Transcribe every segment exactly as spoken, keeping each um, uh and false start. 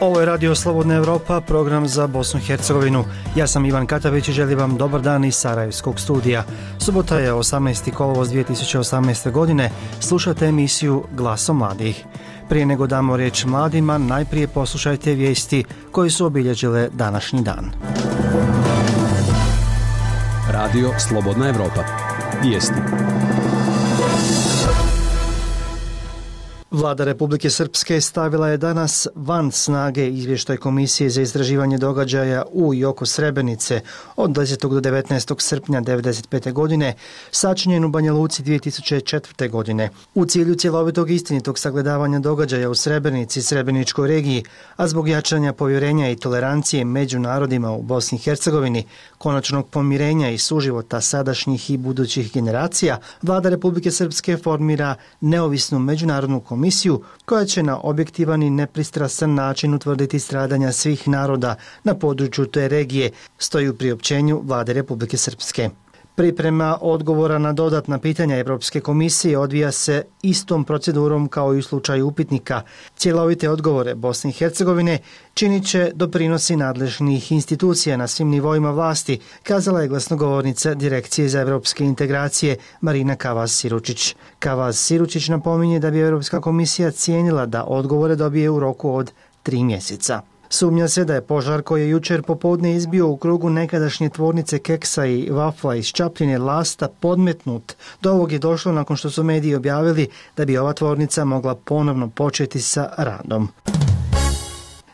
Ovo je Radio Slobodna Evropa, program za Bosnu i Hercegovinu. Ja sam Ivan Katavić i želim vam dobar dan iz Sarajevskog studija. Subota je osamnaesti kolovoz dvije tisuće osamnaeste. godine. Slušate emisiju Glasom mladih. Prije nego damo riječ mladima, najprije poslušajte vijesti koje su obilježile današnji dan. Radio Slobodna Evropa. Vijesti. Vlada Republike Srpske stavila je danas van snage izvještaj Komisije za istraživanje događaja u i oko Srebrenice od desetog do devetnaestog srpnja devedeset pete. godine, sačinjen u Banja Luci dvije tisuće četvrte. godine. U cilju cjelovitog istinitog sagledavanja događaja u Srebrenici i Srebreničkoj regiji, a zbog jačanja povjerenja i tolerancije među narodima u Bosni i Hercegovini, konačnog pomirenja i suživota sadašnjih i budućih generacija, Vlada Republike Srpske formira neovisnu međunarodnu komisiju komisiju koja će na objektivan i nepristrasan način utvrditi stradanja svih naroda na području te regije, stoji u priopćenju Vlade Republike Srpske. Priprema odgovora na dodatna pitanja Europske komisije odvija se istom procedurom kao i u slučaju upitnika. Cjelovite odgovore Bosne i Hercegovine činit će doprinosi nadležnih institucija na svim nivoima vlasti, kazala je glasnogovornica Direkcije za europske integracije Marina Kavaz-Siručić. Kavaz-Siručić napominje da bi Europska komisija cijenila da odgovore dobije u roku od tri mjeseca. Sumnja se da je požar koji je jučer popodne izbio u krugu nekadašnje tvornice keksa i vafla iz Čapljine Lasta podmetnut. Do ovog je došlo nakon što su mediji objavili da bi ova tvornica mogla ponovno početi sa radom.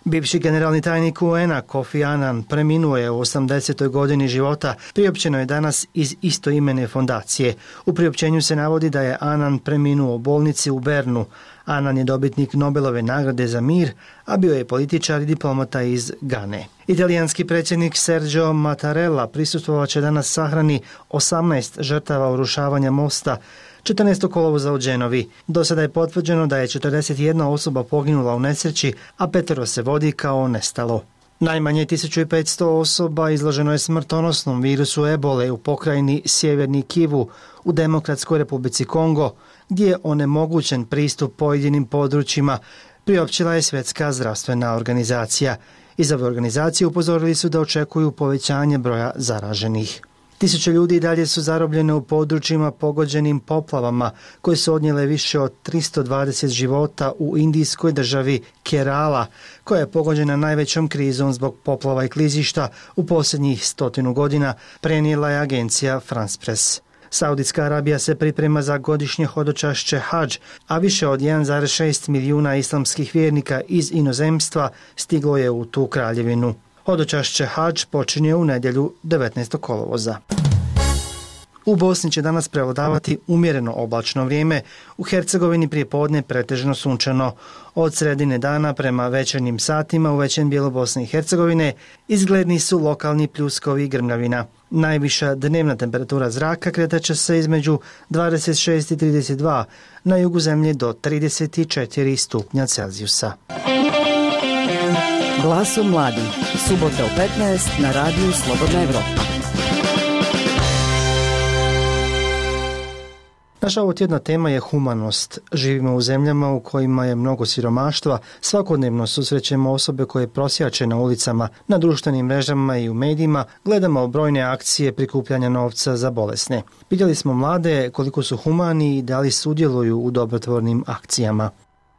Bivši generalni tajnik U N-a Kofi Annan preminuo je u osamdesetoj godini života, priopćeno je danas iz istoimene fondacije. U priopćenju se navodi da je Annan preminuo u bolnici u Bernu. Annan je dobitnik Nobelove nagrade za mir, a bio je političar i diplomata iz Gane. Italijanski predsjednik Sergio Mattarella prisustvovat će danas sahrani osamnaest žrtava urušavanja mosta četrnaestog kolovoza u Genovi. Do sada je potvrđeno da je četrdeset jedna osoba poginula u nesreći, a petero se vodi kao nestalo. Najmanje tisuću petsto osoba izloženo je smrtonosnom virusu ebole u pokrajini Sjeverni Kivu u Demokratskoj Republici Kongo, gdje je onemogućen pristup pojedinim područjima, priopćila je Svjetska zdravstvena organizacija. Iz ove organizacije upozorili su da očekuju povećanje broja zaraženih. Tisuće ljudi i dalje su zarobljene u područjima pogođenim poplavama koje su odnijele više od tristo dvadeset života u indijskoj državi Kerala, koja je pogođena najvećom krizom zbog poplava i klizišta u posljednjih stotinu godina, prenijela je agencija France Press. Saudijska Arabija se priprema za godišnje hodočašće Hadž, a više od jedan zarez šest milijuna islamskih vjernika iz inozemstva stiglo je u tu kraljevinu. Hodočašće Hadž počinje u nedjelju devetnaestog kolovoza. U Bosni će danas prevladavati umjereno oblačno vrijeme, u Hercegovini prije podne pretežno sunčano. Od sredine dana prema večernjim satima u većem dijelu Bosne i Hercegovine izgledni su lokalni pljuskovi i grmljavina. Najviša dnevna temperatura zraka kretat će se između dvadeset šest i trideset dva, na jugu zemlje do trideset četiri stupnja Celzijusa. Glasom mladih, subota u petnaest na Radiju Slobodna Evropa. Naša ovotjedna tema je humanost. Živimo u zemljama u kojima je mnogo siromaštva, svakodnevno susrećemo osobe koje prosjače na ulicama, na društvenim mrežama i u medijima, gledamo brojne akcije prikupljanja novca za bolesne. Pitali smo mlade koliko su humani i da li sudjeluju u dobrotvornim akcijama.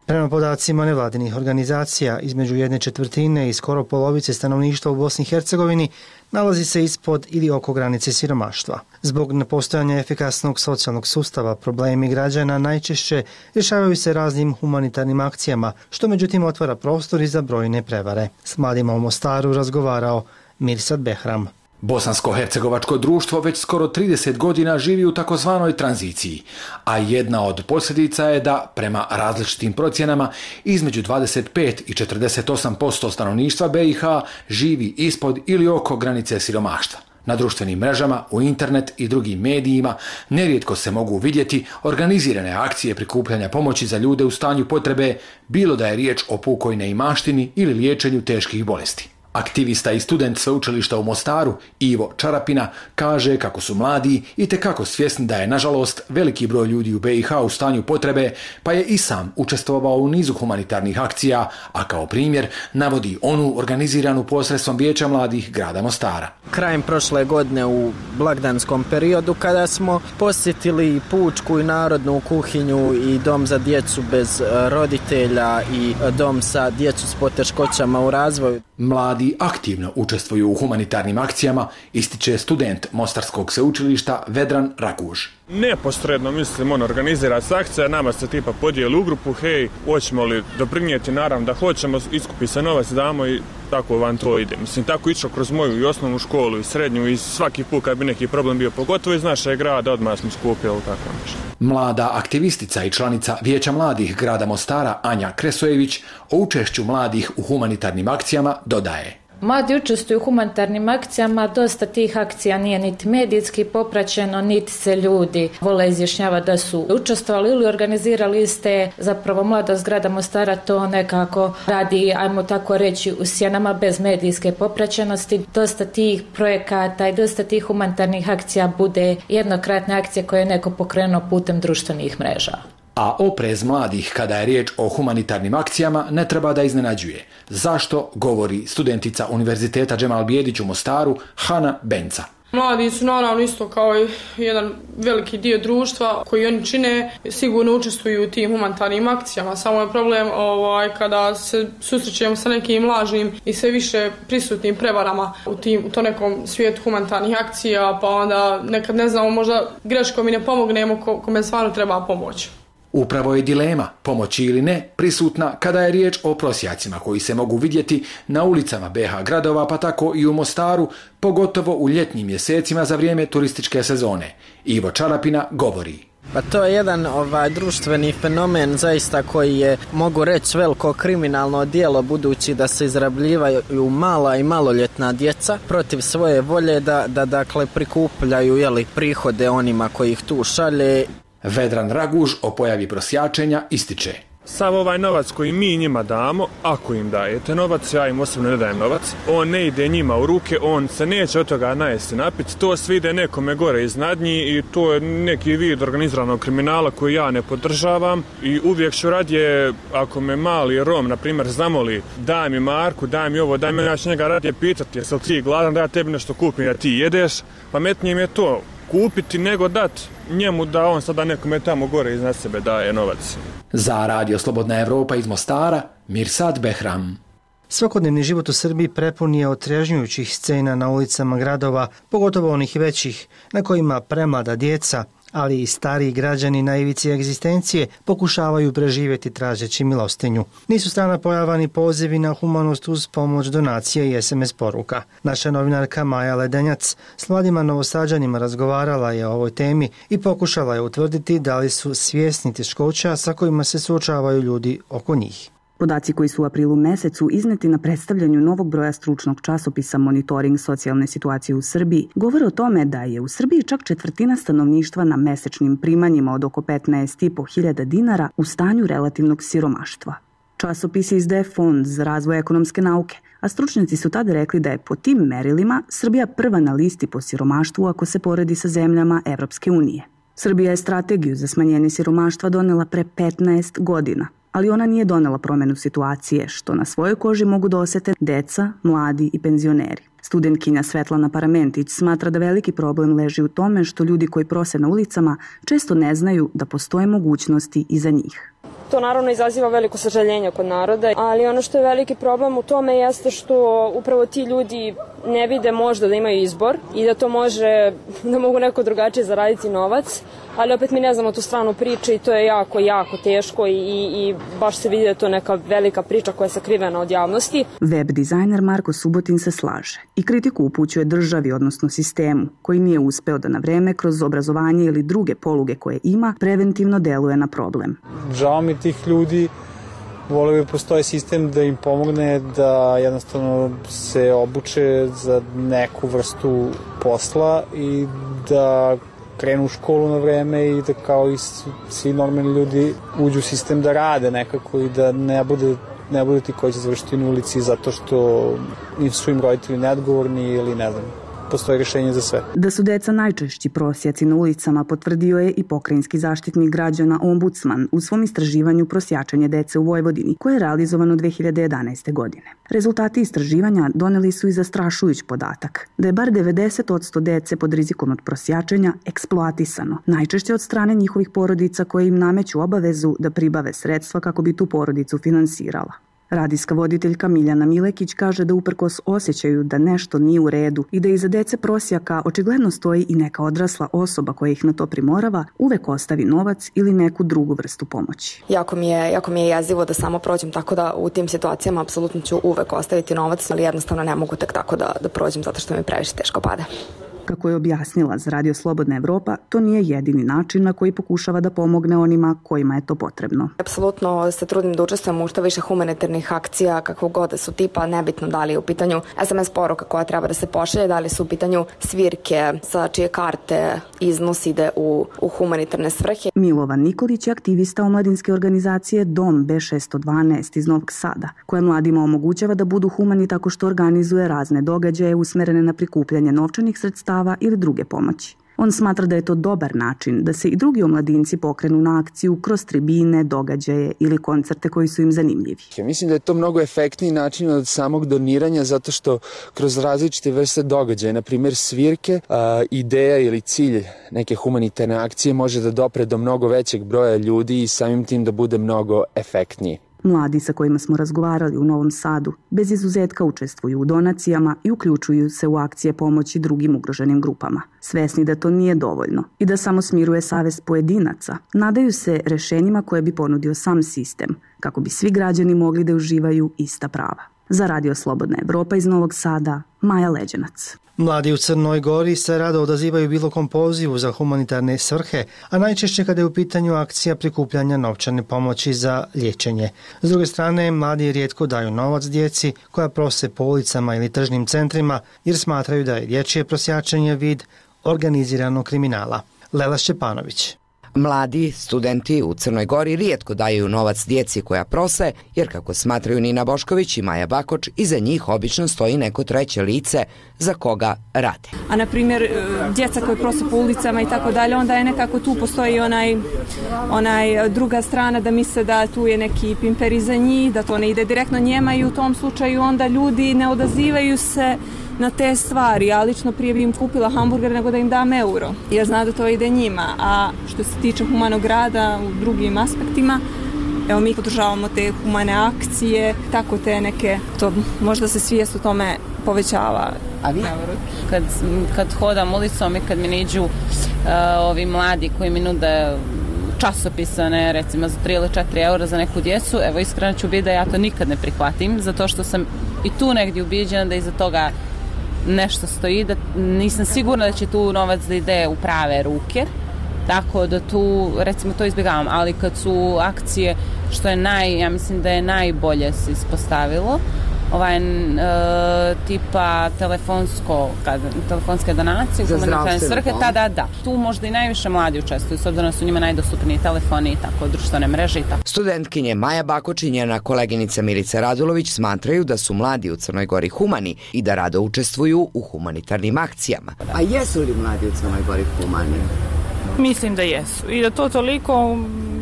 Prema podacima nevladinih organizacija, između jedne četvrtine i skoro polovice stanovništva u Bosni i Hercegovini nalazi se ispod ili oko granice siromaštva. Zbog nepostojanja efikasnog socijalnog sustava, problemi građana najčešće rješavaju se raznim humanitarnim akcijama, što međutim otvara prostor i za brojne prevare. S mladima u Mostaru razgovarao Mirsad Behram. Bosansko-hercegovačko društvo već skoro trideset godina živi u takozvanoj tranziciji, a jedna od posljedica je da, prema različitim procjenama, između dvadeset pet i četrdeset osam posto stanovništva B i H živi ispod ili oko granice siromaštva. Na društvenim mrežama, u internet i drugim medijima nerijetko se mogu vidjeti organizirane akcije prikupljanja pomoći za ljude u stanju potrebe, bilo da je riječ o pukoj neimaštini ili liječenju teških bolesti. Aktivista i student sveučilišta u Mostaru, Ivo Čarapina, kaže kako su mladi i tekako svjesni da je, nažalost, veliki broj ljudi u be i ha u stanju potrebe, pa je i sam učestvovao u nizu humanitarnih akcija, a kao primjer navodi onu organiziranu posredstvom Vijeća mladih grada Mostara. Krajem prošle godine u blagdanskom periodu kada smo posjetili pučku i narodnu kuhinju i dom za djecu bez roditelja i dom sa djecu s poteškoćama u razvoju. Mladi aktivno učestvuju u humanitarnim akcijama, ističe student Mostarskog sveučilišta Vedran Raguž. Neposredno, mislim, on organizira se akcija, nama se tipa podijeli u grupu, hej, hoćemo li doprinijeti, naravno da hoćemo, iskupi se novac, damo i tako vam to ide. Mislim, tako išlo kroz moju i osnovnu školu i srednju i svaki put kad bi neki problem bio, pogotovo iz našeg grada, odmah smo skupili tako nešto. Mlada aktivistica i članica Vijeća mladih grada Mostara Anja Kresojević o učešću mladih u humanitarnim akcijama dodaje. Mladi učestvuju u humanitarnim akcijama, dosta tih akcija nije niti medijski popraćeno, niti se ljudi vole izjašnjavati da su učestvovali ili organizirali iste. Zapravo mladost grada Mostara to nekako radi, ajmo tako reći, u sjenama bez medijske popraćenosti. Dosta tih projekata i dosta tih humanitarnih akcija bude jednokratne akcije koje je neko pokrenuo putem društvenih mreža. A oprez mladih kada je riječ o humanitarnim akcijama ne treba da iznenađuje. Zašto, govori studentica Univerziteta Džemal Bijedić u Mostaru Hana Benca. Mladi su naravno isto kao i jedan veliki dio društva koji oni čine, sigurno učestvuju u tim humanitarnim akcijama. Samo je problem ovaj, kada se susrećemo sa nekim lažnim i sve više prisutnim prevarama u, tim, u to nekom svijetu humanitarnih akcija, pa onda nekad ne znamo, možda greškom i ne pomognemo ko, kome stvarno treba pomoći. Upravo je dilema, pomoći ili ne, prisutna kada je riječ o prosjacima koji se mogu vidjeti na ulicama be ha gradova, pa tako i u Mostaru, pogotovo u ljetnim mjesecima za vrijeme turističke sezone. Ivo Čarapina govori. Pa to je jedan ovaj društveni fenomen zaista koji je, mogu reći, veliko kriminalno djelo, budući da se izrabljivaju mala i maloljetna djeca protiv svoje volje da, da dakle prikupljaju jeli, prihode onima koji ih tu šalje. Vedran Raguž o pojavi prosjačenja ističe. Sav ovaj novac koji mi njima damo, ako im dajete novac, ja im osobno ne dajem novac, on ne ide njima u ruke, on se neće od toga najesti napiti, to sve ide nekome gore iznad njih i to je neki vid organiziranog kriminala koji ja ne podržavam i uvijek ću radije, ako me mali Rom, na primjer, zamoli, daj mi Marku, daj mi ovo, daj mi, ja ću njega radije pitati, jesi li ti gladan da ja tebi nešto kupim, da ti jedeš, pametnije mi je to kupiti nego dat njemu da on sada nekome tamo gore iznad sebe daje novac. Za Radio Slobodna Evropa iz Mostara, Mirsad Behram. Svakodnevni život u Srbiji prepun je otrežnjujućih scena na ulicama gradova, pogotovo onih većih, na kojima premlada djeca, ali i stariji građani na ivici egzistencije pokušavaju preživjeti tražeći milostinju. Nisu strana pojava ni pozivi na humanost uz pomoć donacije i es em es poruka. Naša novinarka Maja Ledenjac s mladima Novosađanima razgovarala je o ovoj temi i pokušala je utvrditi da li su svjesni teškoća sa kojima se suočavaju ljudi oko njih. Podaci koji su u aprilu mesecu izneti na predstavljanju novog broja stručnog časopisa Monitoring socijalne situacije u Srbiji govore o tome da je u Srbiji čak četvrtina stanovništva na mesečnim primanjima od oko petnaest i po hiljada dinara u stanju relativnog siromaštva. Časopis izdaje Fond za razvoj ekonomske nauke, a stručnjaci su tada rekli da je po tim merilima Srbija prva na listi po siromaštvu ako se poredi sa zemljama Evropske unije. Srbija je strategiju za smanjenje siromaštva donela pre petnaest godina, ali ona nije donela promjenu situacije, što na svojoj koži mogu da osete deca, mladi i penzioneri. Studentkinja Svetlana Paramentić smatra da veliki problem leži u tome što ljudi koji prose na ulicama često ne znaju da postoje mogućnosti i za njih. To naravno izaziva veliko sažaljenje kod naroda, ali ono što je veliki problem u tome jeste što upravo ti ljudi ne vide možda da imaju izbor i da to može, da mogu neko drugačije zaraditi novac, ali opet mi ne znamo tu stranu priče i to je jako, jako teško i, i, i baš se vidi da je to neka velika priča koja je sakrivena od javnosti. Web dizajner Marko Subotin se slaže i kritiku upućuje državi, odnosno sistemu, koji nije uspeo da na vreme kroz obrazovanje ili druge poluge koje ima preventivno deluje na problem. Žao mi tih ljudi, volio bi postoji sistem da im pomogne da jednostavno se obuče za neku vrstu posla i da krenu u školu na vreme i da kao i svi normalni ljudi uđu u sistem da rade nekako i da ne bude ne budu ti koji će završiti na ulici zato što nisu im roditelji neodgovorni ili ne znam, postoji rješenje za sve. Da su deca najčešći prosjaci na ulicama potvrdio je i pokrajinski zaštitnik građana ombudsman u svom istraživanju Prosjačenje dece u Vojvodini, koje je realizovano dve hiljade jedanaeste. godine. Rezultati istraživanja doneli su i zastrašujuć podatak da je bar devedeset posto dece pod rizikom od prosjačenja eksploatisano, najčešće od strane njihovih porodica koje im nameću obavezu da pribave sredstva kako bi tu porodicu finansirala. Radijska voditeljka Miljana Milekić kaže da uprkos osjećaju da nešto nije u redu i da iza dece prosjaka očigledno stoji i neka odrasla osoba koja ih na to primorava, uvek ostavi novac ili neku drugu vrstu pomoći. Jako mi je, jako mi je jezivo da samo prođem, tako da u tim situacijama apsolutno ću uvek ostaviti novac, ali jednostavno ne mogu tek tako da, da prođem zato što mi previše teško pada. Kako je objasnila za Radio Slobodna Evropa, to nije jedini način na koji pokušava da pomogne onima kojima je to potrebno. Apsolutno se trudim da učestvujem u što više humanitarnih akcija, kakvog god da su tipa, nebitno da li je u pitanju es em es poruka koja treba da se pošalje, da li su u pitanju svirke sa čije karte iznos ide u, u humanitarne svrhe. Milovan Nikolić je aktivista omladinske organizacije Dom be šesto dvanaest iz Novog Sada, koja mladima omogućava da budu humani tako što organizuje razne događaje usmerene na prikupljanje novčanih sredstava ili druge pomoći. On smatra da je to dobar način da se i drugi omladinci pokrenu na akciju kroz tribine, događaje ili koncerte koji su im zanimljivi. Ja mislim da je to mnogo efektniji način od samog doniranja zato što kroz različite vrste događaja, na primjer svirke, a, ideja ili cilj neke humanitarne akcije može da dopre do mnogo većeg broja ljudi i samim tim da bude mnogo efektniji. Mladi sa kojima smo razgovarali u Novom Sadu bez izuzetka učestvuju u donacijama i uključuju se u akcije pomoći drugim ugroženim grupama. Svesni da to nije dovoljno i da samo smiruje savest pojedinaca, nadaju se rešenjima koje bi ponudio sam sistem, kako bi svi građani mogli da uživaju ista prava. Za Radio Slobodna Evropa iz Novog Sada, Maja Leđenac. Mladi u Crnoj Gori se rado odazivaju bilo kom pozivu za humanitarne svrhe, a najčešće kada je u pitanju akcija prikupljanja novčane pomoći za liječenje. S druge strane, mladi rijetko daju novac djeci koja prose po ulicama ili tržnim centrima jer smatraju da je dječje prosjačenje vid organiziranog kriminala. Lela Šćepanović. Mladi studenti u Crnoj Gori rijetko daju novac djeci koja prose, jer kako smatraju Nina Bošković i Maja Bakoč, iza njih obično stoji neko treće lice za koga rade. A na primjer, djeca koje prose po ulicama i tako dalje, onda je nekako tu postoji onaj, onaj druga strana da misle da tu je neki pimper iza njih, da to ne ide direktno njema i u tom slučaju onda ljudi ne odazivaju se na te stvari. Ja lično prije bi im kupila hamburger nego da im dam euro, jer zna da to ide njima. A što se tiče humanog rada u drugim aspektima, evo mi podržavamo te humane akcije, tako te neke, to možda se svijest u tome povećava. A vi? Kad, kad hodam ulicom i kad mi niđu uh, ovi mladi koji mi nude časopisane, recimo za tri ili četiri eura za neku djecu, evo iskreno ću biti da ja to nikad ne prihvatim, zato što sam i tu negdje ubiđena da iza toga nešto stoji, da nisam sigurna da će tu novac da ide u prave ruke, tako da tu recimo to izbjegavam, ali kad su akcije, što je naj, ja mislim da je najbolje se ispostavilo, ovaj e, tipa telefonsko, kad, telefonske donacije, humanitarne svrhe, da, da, da. Tu možda i najviše mladi učestvuju, s obzirom da su njima najdostupniji telefoni i tako, društvene mreže i tako. Studentkinje Maja Bakoč i njena koleginica Milica Radulović smatraju da su mladi u Crnoj Gori humani i da rado učestvuju u humanitarnim akcijama. A jesu li mladi u Crnoj Gori humani? Mislim da jesu i da to toliko,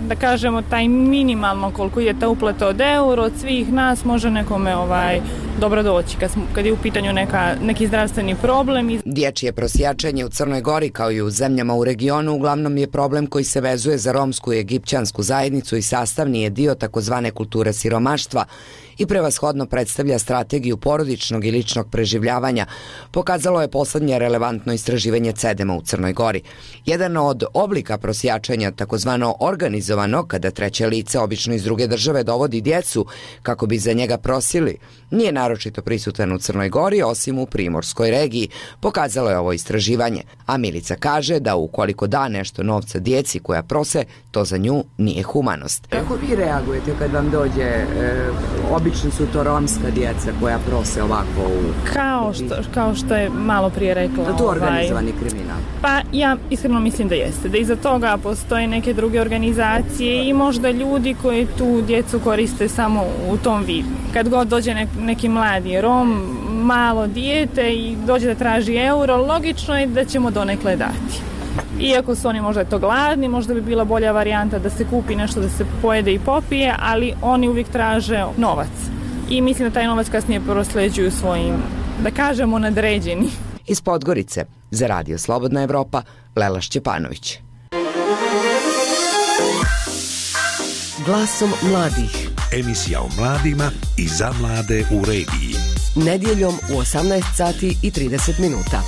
da kažemo, taj minimalno koliko je ta uplata od euro od svih nas može nekome ovaj, dobro doći kad, smo, kad je u pitanju neka, neki zdravstveni problem. Dječje prosjačenje u Crnoj Gori kao i u zemljama u regionu uglavnom je problem koji se vezuje za romsku i egipćansku zajednicu i sastavni je dio takozvane kulture siromaštva i prevashodno predstavlja strategiju porodičnog i ličnog preživljavanja, pokazalo je poslednje relevantno istraživanje CEDEM-a u Crnoj Gori. Jedan od oblika prosjačenja, takozvano organizovano, kada treće lice, obično iz druge države, dovodi djecu kako bi za njega prosili, nije naročito prisutan u Crnoj Gori, osim u primorskoj regiji, pokazalo je ovo istraživanje. A Milica kaže da ukoliko da nešto novca djeci koja prose, to za nju nije humanost. Kako vi reagujete kad vam dođe e, obično su to romska djeca koja prose ovako u... Kao što, kao što je malo prije rekla. Da to organizovani ovaj, kriminal? Pa ja iskreno mislim da jeste. Da iza toga postoje neke druge organizacije i možda ljudi koji tu djecu koriste samo u tom vidu. Kad god dođe nek, neki mladi Rom, malo dijete i dođe da traži euro, logično je da ćemo donekle dati. Iako su oni možda to gladni, možda bi bila bolja varijanta da se kupi nešto da se pojede i popije, ali oni uvijek traže novac. I mislim da taj novac kasnije prosleđuju svojim, da kažemo, nadređeni. Iz Podgorice, za Radio Slobodna Evropa, Lela Šćepanović. Glasom mladih. Emisija o mladima i za mlade u regiji. Nedjeljom u osamnaest sati i trideset minuta.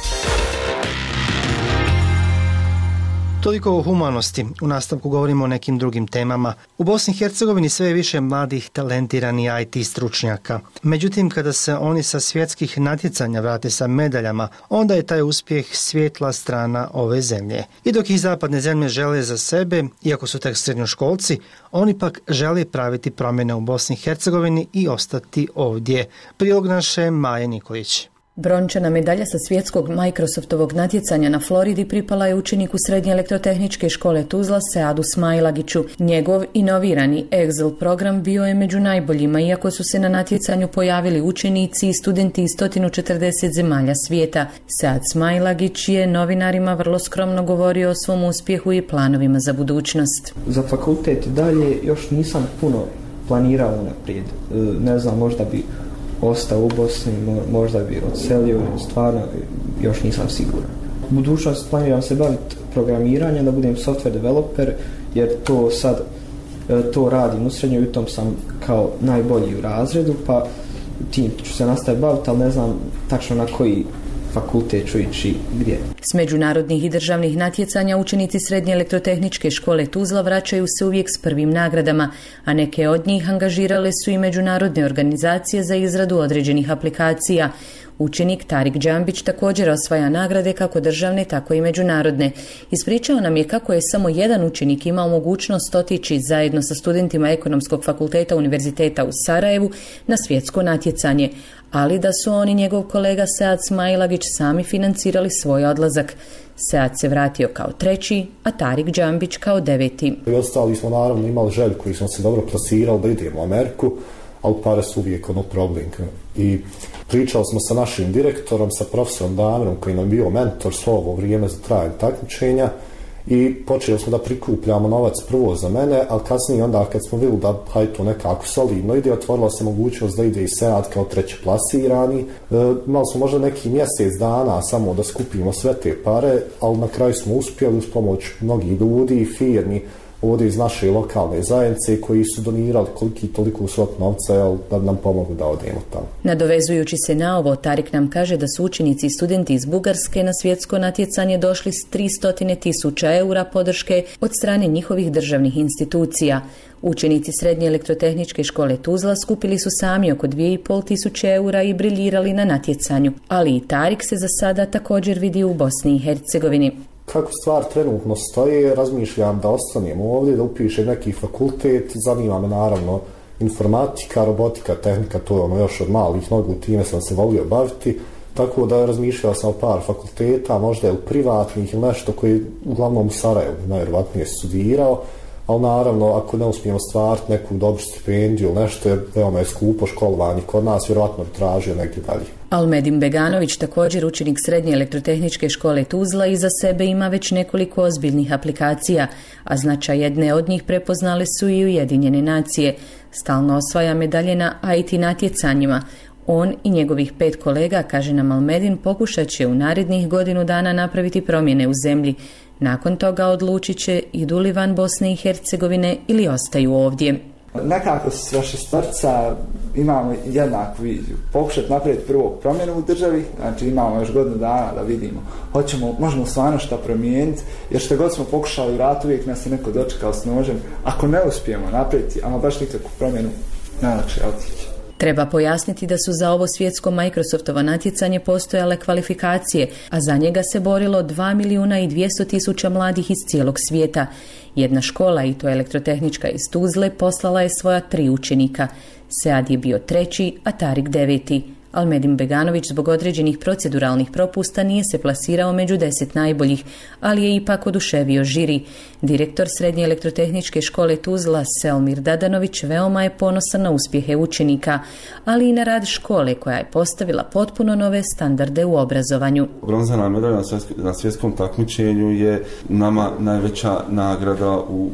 Toliko o humanosti. U nastavku govorimo o nekim drugim temama. U Bosni i Hercegovini sve je više mladih talentirani I T stručnjaka. Međutim, kada se oni sa svjetskih natjecanja vrate sa medaljama, onda je taj uspjeh svijetla strana ove zemlje. I dok ih zapadne zemlje žele za sebe, iako su tek srednjoškolci, oni pak žele praviti promjene u Bosni i Hercegovini i ostati ovdje. Prilog naše Maje Nikolić. Brončana medalja sa svjetskog Microsoftovog natjecanja na Floridi pripala je učeniku Srednje elektrotehničke škole Tuzla Seadu Smailagiću. Njegov inovirani Excel program bio je među najboljima, iako su se na natjecanju pojavili učenici i studenti iz sto četrdeset zemalja svijeta. Sead Smailagić je novinarima vrlo skromno govorio o svom uspjehu i planovima za budućnost. Za fakultet dalje još nisam puno planirao naprijed. Ne znam, možda bi ostao u Bosni, možda bi odselio, stvarno još nisam siguran. U budućnosti planiram se baviti programiranjem, da budem software developer, jer to sad to radim u srednjoj i u tom sam kao najbolji u razredu, pa tim ću se nastaviti baviti, ali ne znam tačno na koji fakultet ću ići gdje. S međunarodnih i državnih natjecanja učenici Srednje elektrotehničke škole Tuzla vraćaju se uvijek s prvim nagradama, a neke od njih angažirale su i međunarodne organizacije za izradu određenih aplikacija. Učenik Tarik Džambić također osvaja nagrade kako državne, tako i međunarodne. Ispričao nam je kako je samo jedan učenik imao mogućnost otići zajedno sa studentima Ekonomskog fakulteta Univerziteta u Sarajevu na svjetsko natjecanje, ali da su on i njegov kolega Sead Smailagić sami financirali svoj odlazak. Sead se vratio kao treći, a Tarik Džambić kao deveti. I ostali smo naravno imali želju koji smo se dobro plasirali da idemo u Ameriku, ali pare su uvijek ono problem. I pričali smo sa našim direktorom, sa profesorom Damirom koji nam bio mentor svo ovo vrijeme za trajanje takmičenja i počeli smo da prikupljamo novac prvo za mene, ali kasnije onda kad smo vidjeli da hajde to nekako solidno ide, otvorila se mogućnost da ide i Sead kao treći plasirani. E, imali smo možda neki mjesec dana samo da skupimo sve te pare, ali na kraju smo uspjeli uz pomoć mnogih ljudi i firmi ovdje iz naše lokalne zajednice koji su donirali koliki toliko svog novca, jel, da nam pomogu da odemo tamo. Nadovezujući se na ovo, Tarik nam kaže da su učenici i studenti iz Bugarske na svjetsko natjecanje došli s tristo tisuća eura podrške od strane njihovih državnih institucija. Učenici Srednje elektrotehničke škole Tuzla skupili su sami oko dvije i pol tisuće eura i briljirali na natjecanju, ali i Tarik se za sada također vidi u Bosni i Hercegovini. Kako stvar trenutno stoji, razmišljam da ostanem ovdje, da upišem neki fakultet, zanima me naravno informatika, robotika, tehnika, to je ono još od malih nogu, time sam se volio baviti, tako da razmišljao sam o par fakulteta, možda je u privatnih ili nešto koji uglavnom u Sarajevu najvjerojatnije studirao, ali naravno ako ne uspijemo stvariti neku dobru stipendiju ili nešto, jer veoma je skupo školovanje kod nas, vjerojatno bi tražio negdje dalje. Almedin Beganović, također učenik Srednje elektrotehničke škole Tuzla, iza sebe ima već nekoliko ozbiljnih aplikacija, a značaj jedne od njih prepoznale su i Ujedinjene nacije. Stalno osvaja medalje na I T natjecanjima. On i njegovih pet kolega, kaže nam Almedin, pokušat će u narednih godinu dana napraviti promjene u zemlji. Nakon toga odlučit će idu li van Bosne i Hercegovine ili ostaju ovdje. Nekako s vaše starca imamo jednaku viziju. Pokušati napraviti prvo promjenu u državi, znači imamo još godinu dana da vidimo. Hoćemo, možemo stvarno šta promijeniti, jer što god smo pokušali vrat, uvijek nas je neko dočekao s nožem. Ako ne uspijemo napraviti, ama baš nikakvu promjenu, najlakše je otići. Treba pojasniti da su za ovo svjetsko Microsoftovo natjecanje postojale kvalifikacije, a za njega se borilo dva milijuna i dvjesto tisuća mladih iz cijelog svijeta. Jedna škola, i to elektrotehnička iz Tuzle, poslala je svoja tri učenika. Sead je bio treći, a Tarik deveti. Almedin Beganović zbog određenih proceduralnih propusta nije se plasirao među deset najboljih, ali je ipak oduševio žiri. Direktor Srednje elektrotehničke škole Tuzla, Selmir Dadanović, veoma je ponosan na uspjehe učenika, ali i na rad škole koja je postavila potpuno nove standarde u obrazovanju. Bronzana medalja na svjetskom takmičenju je nama najveća nagrada u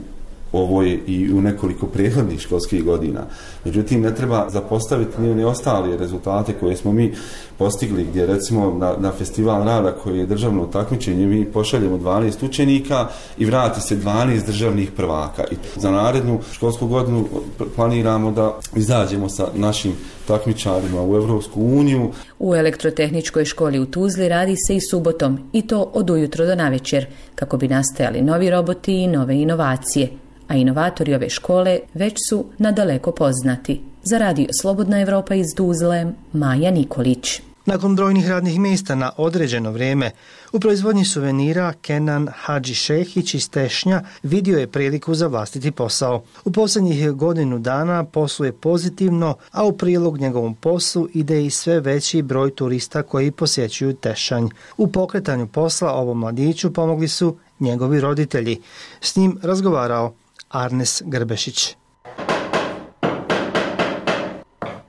ovoj i u nekoliko prethodnih školskih godina. Međutim, ne treba zapostaviti ni ostale rezultate koje smo mi postigli, gdje recimo na, na festival rada koji je državno takmičenje mi pošaljemo dvanaest učenika i vrati se dvanaest državnih prvaka. I za narednu školsku godinu planiramo da izađemo sa našim takmičarima u Evropsku uniju. U elektrotehničkoj školi u Tuzli radi se i subotom, i to od ujutro do navečer, kako bi nastajali novi roboti i nove inovacije. A inovatori ove škole već su nadaleko poznati. Za radio Slobodna Evropa iz Tuzle, Maja Nikolić. Nakon brojnih radnih mjesta na određeno vrijeme, u proizvodnji suvenira Kenan Hadžišehić iz Tešnja vidio je priliku za vlastiti posao. U posljednjih godinu dana posluje pozitivno, a u prilog njegovom poslu ide i sve veći broj turista koji posjećuju Tešanj. U pokretanju posla ovom mladiću pomogli su njegovi roditelji. S njim razgovarao Arnes Grbešić.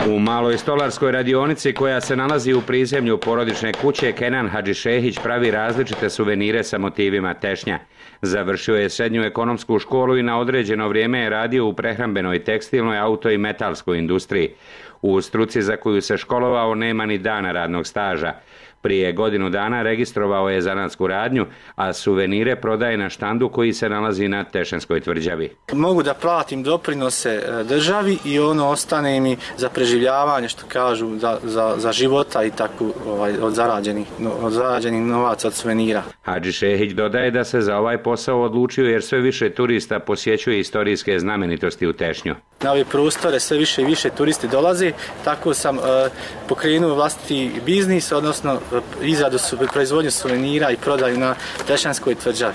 U maloj stolarskoj radionici koja se nalazi u prizemlju porodične kuće, Kenan Hadžišehić pravi različite suvenire sa motivima Tešnja. Završio je srednju ekonomsku školu i na određeno vrijeme je radio u prehrambenoj, tekstilnoj, auto i metalskoj industriji. U struci za koju se školovao nema ni dana radnog staža. Prije godinu dana registrovao je zanatsku radnju, a suvenire prodaje na štandu koji se nalazi na Tešanskoj tvrđavi. Mogu da platim doprinose državi i ono ostane mi za preživljavanje, što kažu, za, za, za života i tako ovaj, od, zarađenih, od zarađenih novaca od suvenira. Hadžišehić dodaje da se za ovaj posao odlučio jer sve više turista posjećuje istorijske znamenitosti u Tešnju. Na ove prostore sve više i više turisti dolaze, tako sam uh, pokrenuo vlastiti biznis, odnosno izradu su, proizvodnju suvenira i prodaju na Tešanskoj tvrđavi.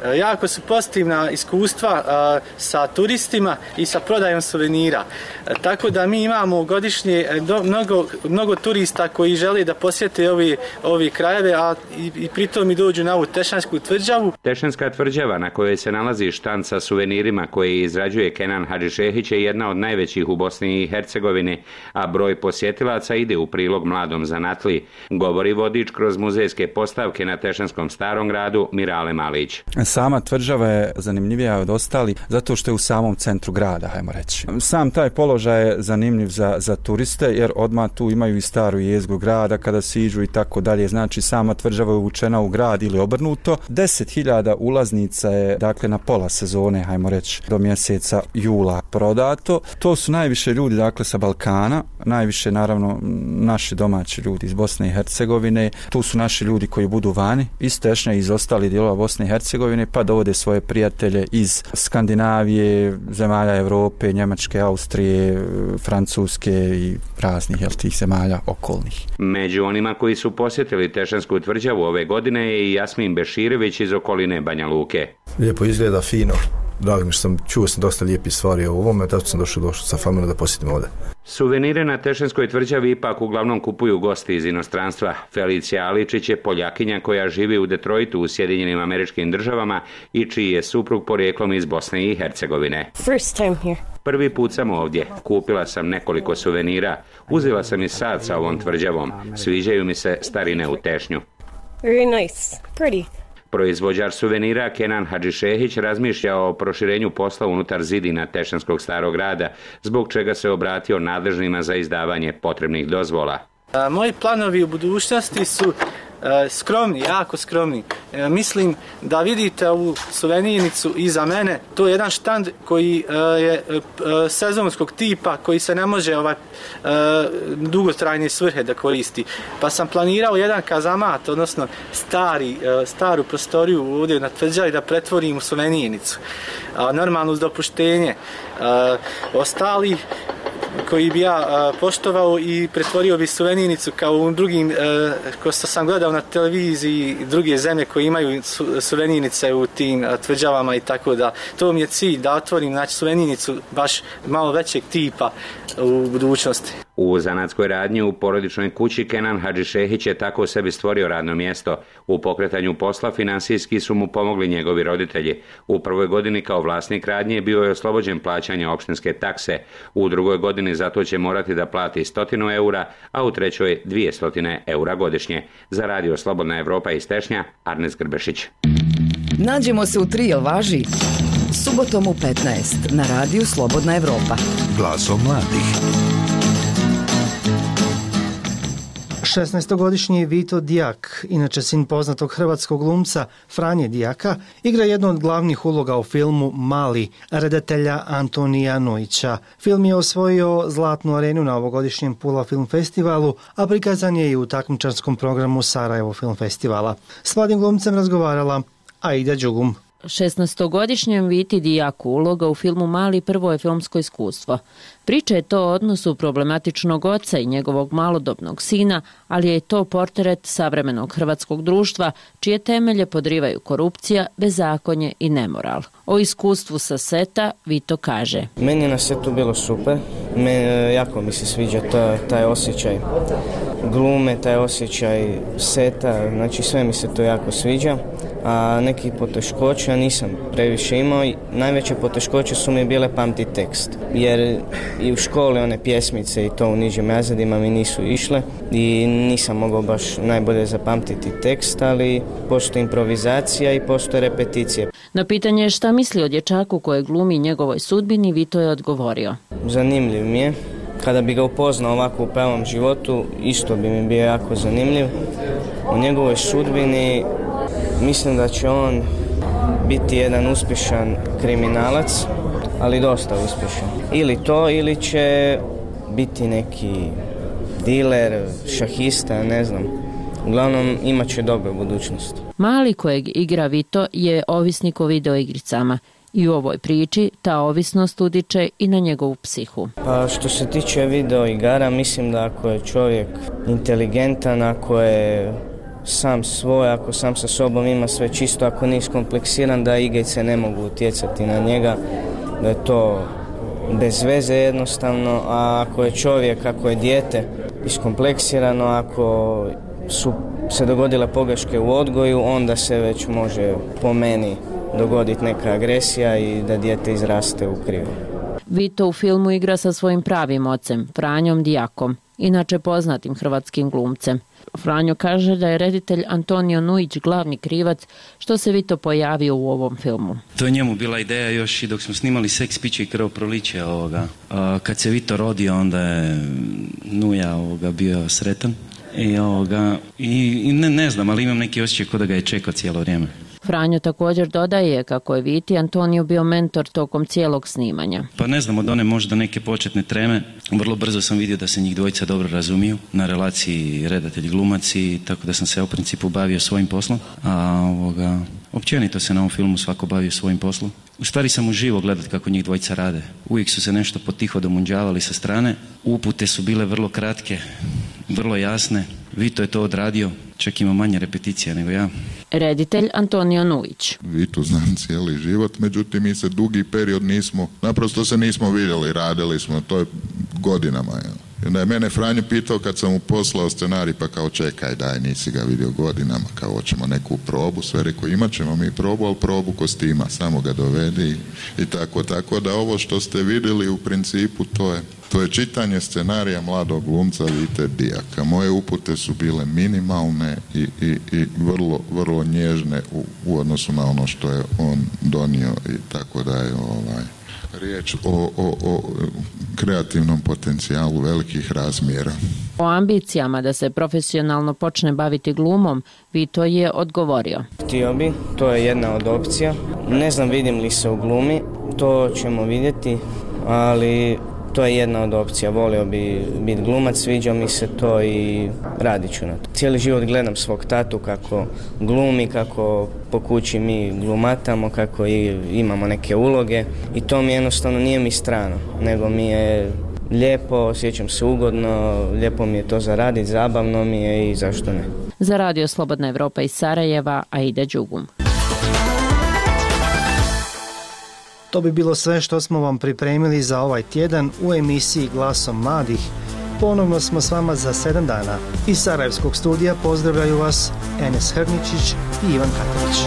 E, jako su pozitivna iskustva a, sa turistima i sa prodajom suvenira. E, tako da mi imamo godišnje do, mnogo, mnogo turista koji žele da posjete ovi, ovi krajeve, a i, i pritom i dođu na ovu Tešansku tvrđavu. Tešanska tvrđava na kojoj se nalazi štand sa suvenirima koje izrađuje Kenan Hadžišehić je jedna od najvećih u Bosni i Hercegovini, a broj posjetilaca ide u prilog mladom zanatliji, govori vodič kroz muzejske postavke na Tešanskom starom gradu Mirale Malić. Sama tvrđava je zanimljivija od ostali zato što je u samom centru grada, hajmo reći. Sam taj položaj je zanimljiv za, za turiste jer odmah tu imaju i staru jezgru grada kada siđu i tako dalje. Znači sama tvrđava je uvučena u grad ili obrnuto. deset hiljada ulaznica je dakle na pola sezone, hajmo reći, do mjeseca jula prodato. To su najviše ljudi dakle sa Balkana, najviše naravno naši domaći ljudi iz Bosne i Hercegovine. Tu su naši ljudi koji budu vani iz Tešnja i iz ostalih dijelova Bosne i Hercegovine, pa dovode svoje prijatelje iz Skandinavije, zemalja Europe, Njemačke, Austrije, Francuske i raznih jel, tih zemalja okolnih. Među onima koji su posjetili Tešansku tvrđavu ove godine je i Jasmin Beširević iz okoline Banja Luke. Lijepo izgleda, fino. Drago mi što sam čuo sam dosta lijepih stvari o ovome, tako sam došao, došao sa familijom da posjetim ovdje. Suvenire na Tešanskoj tvrđavi ipak uglavnom kupuju gosti iz inostranstva. Felicija Aličić je Poljakinja koja živi u Detroitu u Sjedinjenim Američkim Državama i čiji je suprug porijeklom iz Bosne i Hercegovine. First time here. Prvi put sam ovdje. Kupila sam nekoliko suvenira. Uzela sam i sad sa ovom tvrđavom. Sviđaju mi se starine u Tešnju. Very nice. Pretty. Proizvođač suvenira Kenan Hadžišehić razmišlja o proširenju posla unutar zidina Tešanskog starog grada, zbog čega se obratio nadležnima za izdavanje potrebnih dozvola. A, moji planovi u budućnosti su e, skromni, jako skromni. E, mislim da vidite ovu suvenirnicu iza mene. To je jedan štand koji e, je e, sezonskog tipa, koji se ne može ovaj, e, dugotrajne svrhe da koristi. Pa sam planirao jedan kazamat, odnosno stari, e, staru prostoriju ovdje na tvrđavi da pretvorim u suvenirnicu. A, normalno uz dopuštenje. E, ostali koji bi ja poštovao i pretvorio bi suvenirnicu kao u drugim, ko što sam gledao na televiziji, druge zemlje koje imaju suvenirnice u tim tvrđavama i tako da. To mi je cilj, da otvorim znači, suvenirnicu baš malo većeg tipa u budućnosti. U zanatskoj radnji u porodičnoj kući Kenan Hadžišehić je tako sebi stvorio radno mjesto. U pokretanju posla finansijski su mu pomogli njegovi roditelji. U prvoj godini kao vlasnik radnje bio je oslobođen plaćanja opštinske takse. U drugoj godini zato će morati da plati stotinu eura, a u trećoj dvije stotine eura godišnje. Za radio Slobodna Evropa iz Tešnja, Arnes Grbešić. Nađemo se u tri, jel važi? Subotom u petnaest na radiju Slobodna Evropa. Glasom mladih. šesnaestogodišnji Vito Dijak, inače sin poznatog hrvatskog glumca Franje Dijaka, igra jednu od glavnih uloga u filmu Mali, redatelja Antonija Nujića. Film je osvojio Zlatnu arenu na ovogodišnjem Pula film festivalu, a prikazan je i u takmičarskom programu Sarajevo film festivala. S mladim glumcem razgovarala Aida Đugum. šesnaestogodišnjem Viti Dijaku uloga u filmu Mali prvo je filmsko iskustvo. Priča je to o odnosu problematičnog oca i njegovog malodobnog sina, ali je to portret savremenog hrvatskog društva, čije temelje podrivaju korupcija, bezakonje i nemoral. O iskustvu sa seta Vito kaže. Meni je na setu bilo super, me, jako mi se sviđa taj, taj osjećaj glume, taj osjećaj seta, znači sve mi se to jako sviđa, a nekih poteškoća nisam previše imao i najveće poteškoće su mi bile pamti tekst, jer i u školi one pjesmice i to u nižim razredima mi nisu išle i nisam mogao baš najbolje zapamtiti tekst, ali postoji improvizacija i postoje repeticije. Na pitanje šta misli o dječaku koje glumi njegovoj sudbini, Vito je odgovorio. Zanimljiv mi je. Kada bi ga upoznao ovako u pravom životu, isto bi mi bio jako zanimljiv. U njegovoj sudbini mislim da će on biti jedan uspješan kriminalac, ali dosta uspješan. Ili to, ili će biti neki diler, šahista, ne znam. Uglavnom, imat će dobru budućnost. Mali kojeg igra Vito je ovisnik o videoigricama. I u ovoj priči ta ovisnost utiče i na njegovu psihu. Pa što se tiče video igara, mislim da ako je čovjek inteligentan, ako je sam svoj, ako sam sa sobom ima sve čisto, ako nije iskompleksiran, da igrice ne mogu utjecati na njega, da je to bez veze jednostavno, a ako je čovjek, ako je dijete iskompleksirano, ako su se dogodile pogreške u odgoju, onda se već može po meni dogoditi neka agresija i da dijete izraste u krivo. Vito u filmu igra sa svojim pravim ocem, Franjom Dijakom, inače poznatim hrvatskim glumcem. Franjo kaže da je reditelj Antonio Nujić glavni krivac što se Vito pojavio u ovom filmu. To je njemu bila ideja još i dok smo snimali Seks, piće i krv proliče ovoga. Kad se Vito rodio, onda je Nuja ovoga bio sretan. I, ovoga, i, i ne, ne znam, ali imam neki osjećaj kao da ga je čekao cijelo vrijeme. Franjo također dodaje kako je Viti Antoniju bio mentor tokom cijelog snimanja. Pa ne znam, od one možda neke početne treme, vrlo brzo sam vidio da se njih dvojica dobro razumiju na relaciji redatelj glumac i tako da sam se u principu bavio svojim poslom. A ovoga, općenito se na ovom filmu svako bavio svojim poslom. U stvari sam uživo gledat kako njih dvojica rade. Uvijek su se nešto potiho domunđavali sa strane. Upute su bile vrlo kratke, vrlo jasne. Vito je to odradio, čak ima manje repeticija nego ja. Reditelj Antonio Nujić. Vitu znam cijeli život, međutim mi se dugi period nismo, naprosto se nismo vidjeli, radili smo, to je godinama. Ja. Da je mene Franjo pitao kad sam mu poslao scenarij, pa kao čekaj, daj, nisi ga vidio godinama, kao hoćemo neku probu, sve rekao, imat ćemo mi probu, ali probu kostima, samo ga dovedi i, i tako, tako da ovo što ste vidjeli u principu to je To je čitanje scenarija mladog glumca Vite Dijaka. Moje upute su bile minimalne i, i, i vrlo, vrlo nježne u, u odnosu na ono što je on donio i tako da je ovaj, riječ o, o, o kreativnom potencijalu velikih razmjera. O ambicijama da se profesionalno počne baviti glumom, Vito je odgovorio. Htio bi, to je jedna od opcija. Ne znam vidim li se u glumi, to ćemo vidjeti, ali to je jedna od opcija. Volio bi biti glumac, sviđa mi se to i radit ću na to. Cijeli život gledam svog tatu kako glumi, kako po kući mi glumatamo, kako i imamo neke uloge i to mi jednostavno nije mi strano, nego mi je lijepo, osjećam se ugodno, lijepo mi je to zaraditi, zabavno mi je i zašto ne. Za Radio Slobodna Evropa iz Sarajeva, Aida Đugum. To bi bilo sve što smo vam pripremili za ovaj tjedan u emisiji Glasom mladih. Ponovno smo s vama za sedam dana. Iz Sarajevskog studija pozdravljaju vas Enes Hrničić i Ivan Katanić.